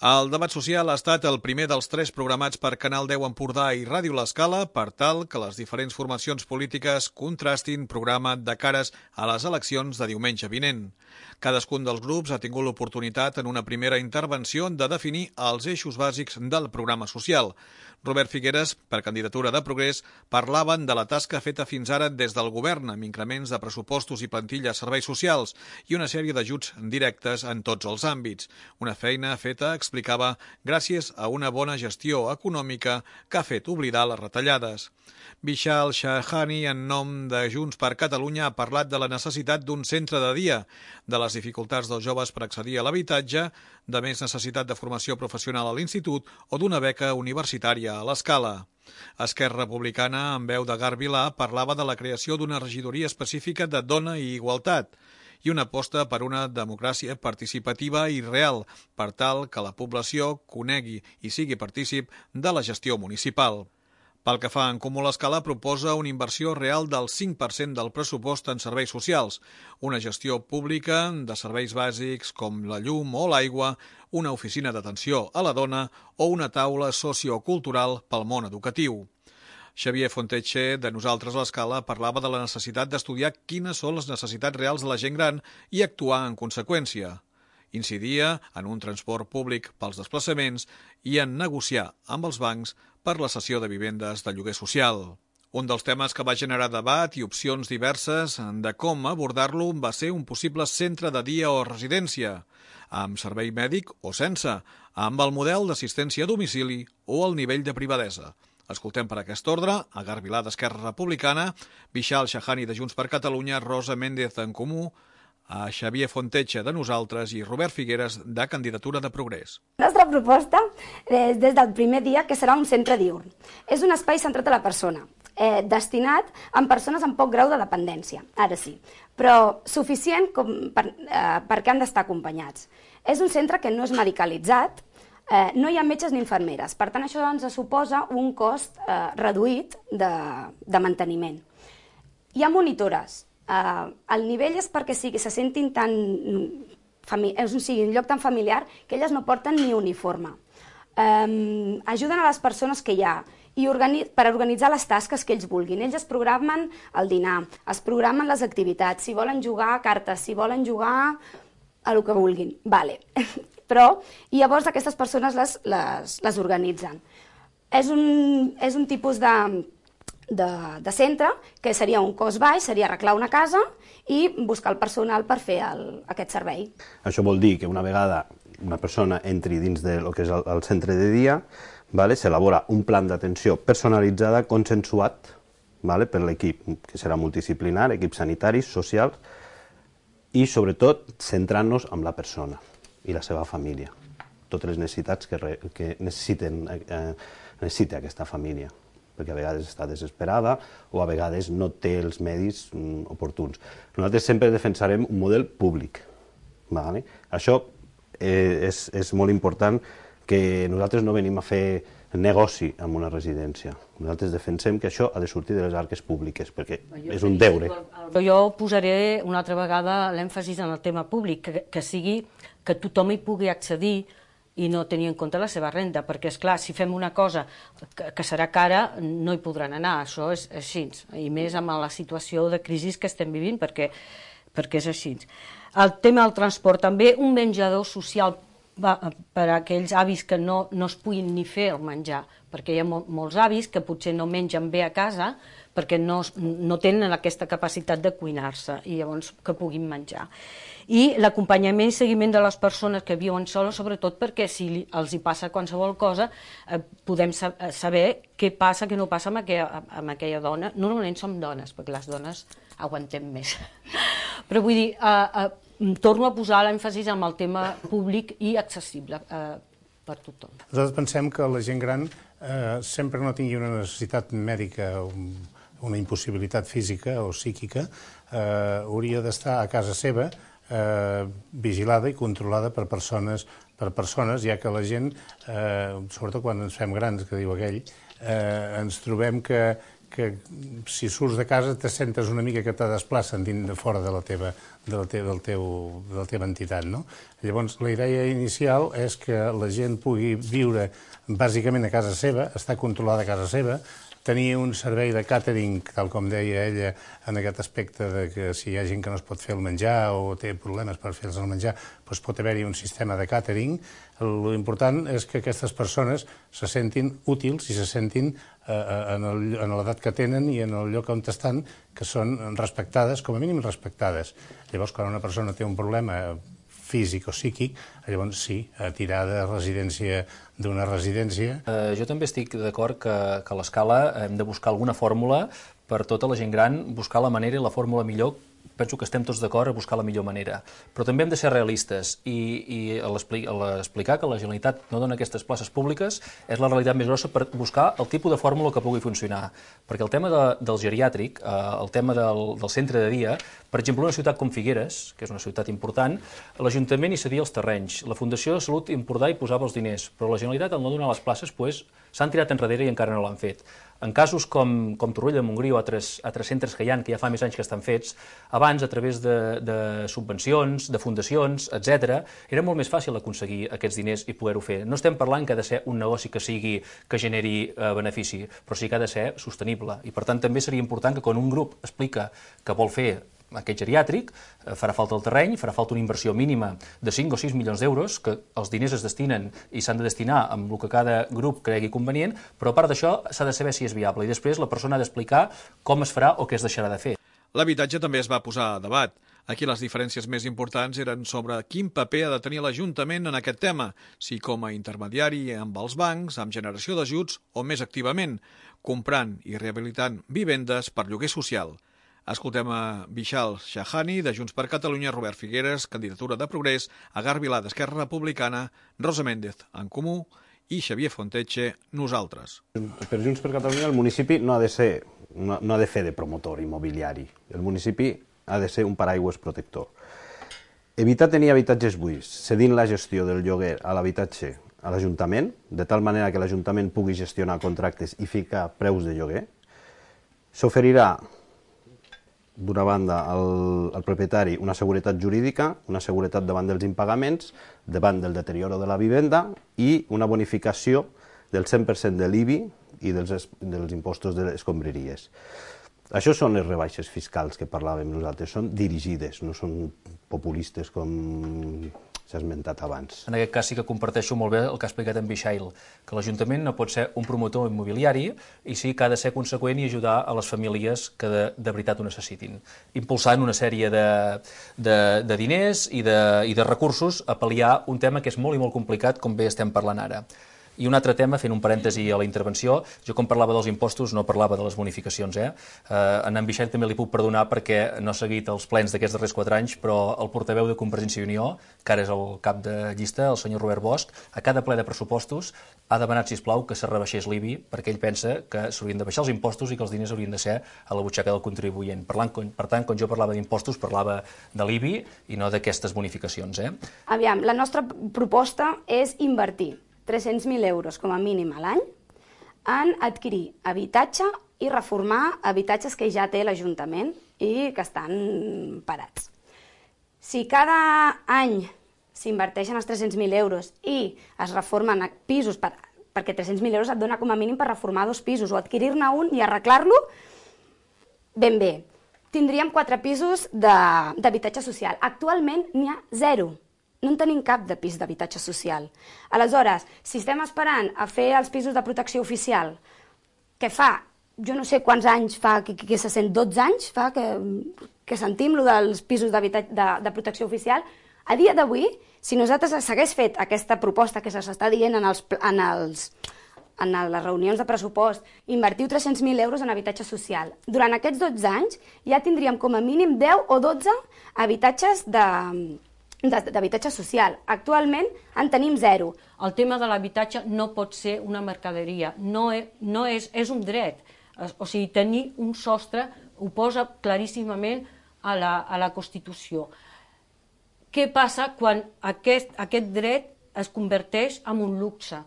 El debat social ha estat el primer dels 3 programats per Canal 10 Empordà i Ràdio L'Escala per tal que les diferents formacions polítiques contrastin programa de cares a les eleccions de diumenge vinent. Cadascun dels grups ha tingut l'oportunitat en una primera intervenció de definir els eixos bàsics del programa social. Robert Figueres, per candidatura de Progrés, parlaven de la tasca feta fins ara des del govern amb increments de pressupostos i plantilla a serveis socials i una sèrie d'ajuts directes en tots els àmbits. Una feina feta, explicava, gràcies a una bona gestió econòmica que ha fet oblidar les retallades. Vishal Shahani, en nom de Junts per Catalunya, ha parlat de la necessitat d'un centre de dia, de les dificultats dels joves per accedir a l'habitatge, de més necessitat de formació professional a l'institut o d'una beca universitària a l'Escala. Esquerra Republicana, en veu de Gar Vilà, parlava de la creació d'una regidoria específica de dona i igualtat i una aposta per una democràcia participativa i real, per tal que la població conegui i sigui partícip de la gestió municipal. Pel que fa a En Comú l'Escala, proposa una inversió real del 5% del pressupost en serveis socials, una gestió pública de serveis bàsics com la llum o l'aigua, una oficina d'atenció a la dona o una taula sociocultural pel món educatiu. Xavier Fonteche, de Nosaltres l'Escala, parlava de la necessitat d'estudiar quines són les necessitats reals de la gent gran i actuar en conseqüència. Incidia en un transport públic pels desplaçaments i en negociar amb els bancs per la cessió de vivendes de lloguer social. Un dels temes que va generar debat i opcions diverses de com abordar-lo va ser un possible centre de dia o residència, amb servei mèdic o sense, amb el model d'assistència a domicili o el nivell de privadesa. Escoltem per aquest ordre a Gar Vilà d'Esquerra Republicana, Vishal Shahani de Junts per Catalunya, Rosa Méndez d'En Comú, a Xavier Fonteche de Nosaltres i Robert Figueres de Candidatura de Progrés. La nostra proposta és des del primer dia que serà un centre diürn. És un espai centrat a la persona, destinat a persones amb poc grau de dependència, ara sí, però suficient perquè han d'estar acompanyats. És un centre que no és medicalitzat, no hi ha metges ni infermeres, per tant això ens suposa un cost reduït de manteniment. Hi ha monitores. El nivell és perquè se sentin tan... sigui un lloc tan familiar que elles no porten ni uniforme. Ajuden a les persones que hi ha i per organitzar les tasques que ells vulguin. Ells es programen el dinar, es programen les activitats, si volen jugar a cartes, si volen jugar a el que vulguin. Vale. Però llavors aquestes persones les organitzen. És un tipus de centre que seria un cost baix, seria arreglar una casa i buscar el personal per fer aquest servei. Això vol dir que una vegada una persona entri dins del que és el centre de dia, s'elabora un plan d'atenció personalitzada, consensuat per l'equip, que serà multidisciplinar, equips sanitaris, socials, i sobretot centrant-nos en la persona i la seva família, totes les necessitats que necessita aquesta família, perquè a vegades està desesperada o a vegades no té els medis oportuns. Nosaltres sempre defensarem un model públic. Això és molt important, que nosaltres no venim a fer negoci amb una residència. Nosaltres defensem que això ha de sortir de les arques públiques, perquè és un deure. Jo posaré una altra vegada l'èmfasis en el tema públic, que sigui que tothom hi pugui accedir i no tenir en compte la seva renda, perquè, esclar, si fem una cosa que serà cara, no hi podran anar, això és així, i més amb la situació de crisi que estem vivint, perquè és així. El tema del transport, també un menjador social per a aquells avis que no es puguin ni fer el menjar, perquè hi ha molts avis que potser no mengen bé a casa perquè no tenen aquesta capacitat de cuinar-se i llavors que puguin menjar. I l'acompanyament i seguiment de les persones que viuen soles, sobretot perquè si els hi passa qualsevol cosa podem saber què passa, què no passa amb aquella dona. Normalment som dones, perquè les dones aguantem més. Però vull dir, torno a posar l'èmfasis en el tema públic i accessible per tothom. Nosaltres pensem que la gent gran, sempre no tingui una necessitat mèdica, una impossibilitat física o psíquica, hauria d'estar a casa seva vigilada i controlada per persones, ja que la gent, sobretot quan ens fem grans, que diu aquell, ens trobem que que si surts de casa te sentes una mica que te desplacen de fora de la teva entitat, no? Llavors, la idea inicial és que la gent pugui viure bàsicament a casa seva, estar controlada a casa seva, tenir un servei de càtering, tal com deia ella, en aquest aspecte de que si hi ha gent que no es pot fer el menjar o té problemes per fer-los el menjar, doncs pot haver-hi un sistema de càtering. L'important és que aquestes persones se sentin útils i se sentin en l'edat que tenen i en el lloc on estan, que són respectades, com a mínim respectades. Llavors, quan una persona té un problema físic o psíquic, llavors sí, tirar d'una residència. Jo també estic d'acord que a l'escala hem de buscar alguna fórmula per tota la gent gran, buscar la manera i la fórmula millor. Penso que estem tots d'acord a buscar la millor manera. Però també hem de ser realistes i a l'explicar que la Generalitat no dona aquestes places públiques és la realitat més grossa per buscar el tipus de fórmula que pugui funcionar. Perquè el tema del geriàtric, el tema del centre de dia, per exemple, una ciutat com Figueres, que és una ciutat important, l'Ajuntament hi cedia els terrenys, la Fundació de Salut Empordà hi posava els diners, però la Generalitat, al no donar les places, s'han tirat enrere i encara no l'han fet. En casos com Torroella de Montgrí o altres centres que hi ha, que ja fa més anys que estan fets, abans, a través de subvencions, de fundacions, etc., era molt més fàcil aconseguir aquests diners i poder-ho fer. No estem parlant que ha de ser un negoci que generi benefici, però sí que ha de ser sostenible. I, per tant, també seria important que quan un grup explica que vol fer aquest geriàtric, farà falta el terreny, farà falta una inversió mínima de 5 o 6 milions d'euros, que els diners es destinen i s'han de destinar amb el que cada grup cregui convenient, però a part d'això s'ha de saber si és viable i després la persona ha d'explicar com es farà o què es deixarà de fer. L'habitatge també es va posar a debat. Aquí les diferències més importants eren sobre quin paper ha de tenir l'Ajuntament en aquest tema, si com a intermediari amb els bancs, amb generació d'ajuts o més activament, comprant i rehabilitant vivendes per lloguer social. Escoltem a Vishal Shahani, de Junts per Catalunya, Robert Figueres, candidatura de Progrés, Agar Vilà, d'Esquerra Republicana, Rosa Méndez, en Comú, i Xavier Fonteche, nosaltres. Per Junts per Catalunya el municipi no ha de fer de promotor immobiliari. El municipi ha de ser un paraigües protector. Evitar tenir habitatges buits, cedint la gestió del lloguer a l'habitatge a l'Ajuntament, de tal manera que l'Ajuntament pugui gestionar contractes i ficar preus de lloguer, s'oferirà d'una banda al propietari una seguretat jurídica, una seguretat davant dels impagaments, davant del deterioro de la vivenda i una bonificació del 100% de l'IBI i dels impostos de les escombraries. Això són les rebaixes fiscals que parlàvem nosaltres, són dirigides, no són populistes com s'ha esmentat abans. En aquest cas sí que comparteixo molt bé el que ha explicat en Vishal, que l'Ajuntament no pot ser un promotor immobiliari i sí que ha de ser conseqüent i ajudar a les famílies que de veritat ho necessitin, impulsant una sèrie de diners i de recursos a pal·liar un tema que és molt i molt complicat, com bé estem parlant ara. I un altre tema, fent un parèntesi a la intervenció, jo quan parlava dels impostos no parlava de les bonificacions. En Vishal també li puc perdonar perquè no ha seguit els plens d'aquests darrers 4 anys, però el portaveu de Convergència i Unió, que ara és el cap de llista, el senyor Robert Bosch, a cada ple de pressupostos ha demanat, sisplau, que se rebaixés l'IBI, perquè ell pensa que s'haurien de baixar els impostos i que els diners haurien de ser a la butxaca del contribuent. Per tant, quan jo parlava d'impostos, parlava de l'IBI i no d'aquestes bonificacions. Aviam, la nostra proposta és invertir 300.000 euros com a mínim a l'any en adquirir habitatge i reformar habitatges que ja té l'Ajuntament i que estan parats. Si cada any s'inverteixen els 300.000 euros i es reformen pisos, perquè 300.000 euros et dona com a mínim per reformar 2 pisos o adquirir-ne un i arreglar-lo, ben bé. Tindríem 4 pisos d'habitatge social. Actualment n'hi ha 0. No en tenim cap de pis d'habitatge social. Aleshores, si estem esperant a fer els pisos de protecció oficial, que fa, jo no sé quants anys fa, que se sent 12 anys fa que sentim lo dels pisos de protecció oficial, a dia d'avui, si nosaltres s'hagués fet aquesta proposta que s'està dient en les reunions de pressupost, invertiu 300.000 euros en habitatge social. Durant aquests 12 anys ja tindríem com a mínim 10 o 12 habitatges d'habitatge social. Actualment en tenim 0. El tema de l'habitatge no pot ser una mercaderia, és un dret. O sigui, tenir un sostre ho posa claríssimament a la Constitució. Què passa quan aquest dret es converteix en un luxe?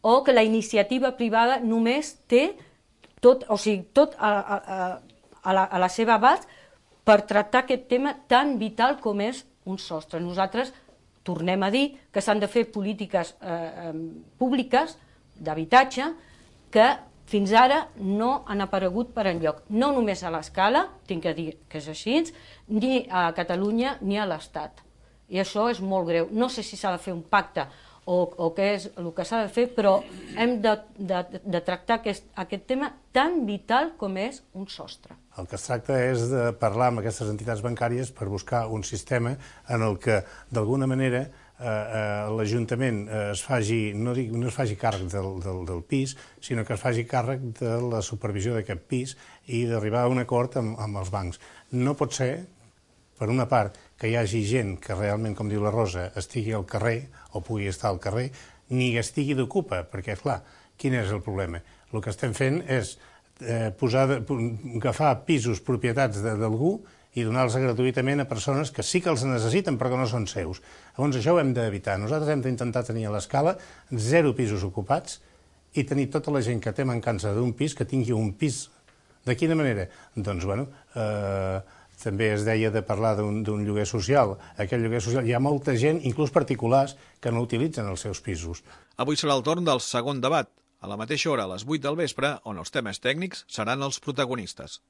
O que la iniciativa privada només té tot a la seva abast per tractar aquest tema tan vital com és un sostre. Nosaltres tornem a dir que s'han de fer polítiques públiques d'habitatge que fins ara no han aparegut per enlloc, no només a l'Escala, tinc que dir que és així, ni a Catalunya ni a l'Estat. I això és molt greu. No sé si s'ha de fer un pacte o què és el que s'ha de fer, però hem de tractar aquest tema tan vital com és un sostre. El que es tracta és de parlar amb aquestes entitats bancàries per buscar un sistema en el que, d'alguna manera, l'Ajuntament no es faci càrrec del pis, sinó que es faci càrrec de la supervisió d'aquest pis i d'arribar a un acord amb els bancs. No pot ser, per una part, que hi hagi gent que realment, com diu la Rosa, estigui al carrer o pugui estar al carrer, ni estigui d'ocupa, perquè, clar, quin és el problema? El que estem fent és agafar pisos, propietats d'algú i donar-los gratuïtament a persones que sí que els necessiten però que no són seus. Llavors això ho hem d'evitar. Nosaltres hem d'intentar tenir a l'Escala 0 pisos ocupats i tenir tota la gent que té mancança d'un pis que tingui un pis. De quina manera? Doncs, bueno, també es deia de parlar d'un lloguer social. Aquest lloguer social, hi ha molta gent, inclús particulars, que no utilitzen els seus pisos. Avui serà el torn del segon debat, a la mateixa hora, a les 8 del vespre, on els temes tècnics seran els protagonistes.